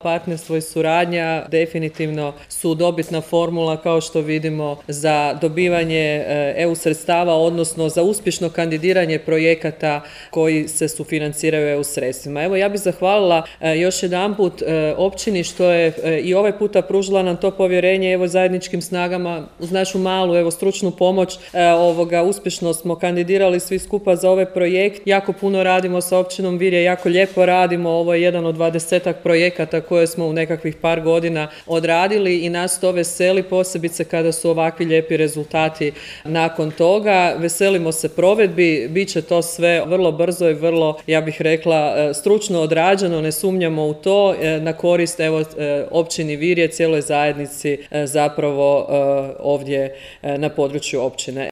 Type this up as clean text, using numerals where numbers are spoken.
Partnerstvo i suradnja definitivno su dobitna formula, kao što vidimo, za dobivanje EU sredstava, odnosno za uspješno kandidiranje projekata koji se sufinanciraju EU sredstvima. Evo, ja bih zahvalila još jedanput općini što je i ovaj puta pružila nam to povjerenje, evo, zajedničkim snagama uz našu malu stručnu pomoć uspješno smo kandidirali svi skupa za ovaj projekt. Jako puno radimo sa općinom Virje, jako lijepo radimo. Ovo je jedan od 20-ak projekata koje smo u nekakvih par godina odradili i nas to veseli, posebice kada su ovakvi lijepi rezultati nakon toga. Veselimo se provedbi, bit će to sve vrlo brzo i vrlo, ja bih rekla, stručno odrađeno, ne sumnjamo u to, na korist općini Virje, cijeloj zajednici zapravo ovdje na području općine.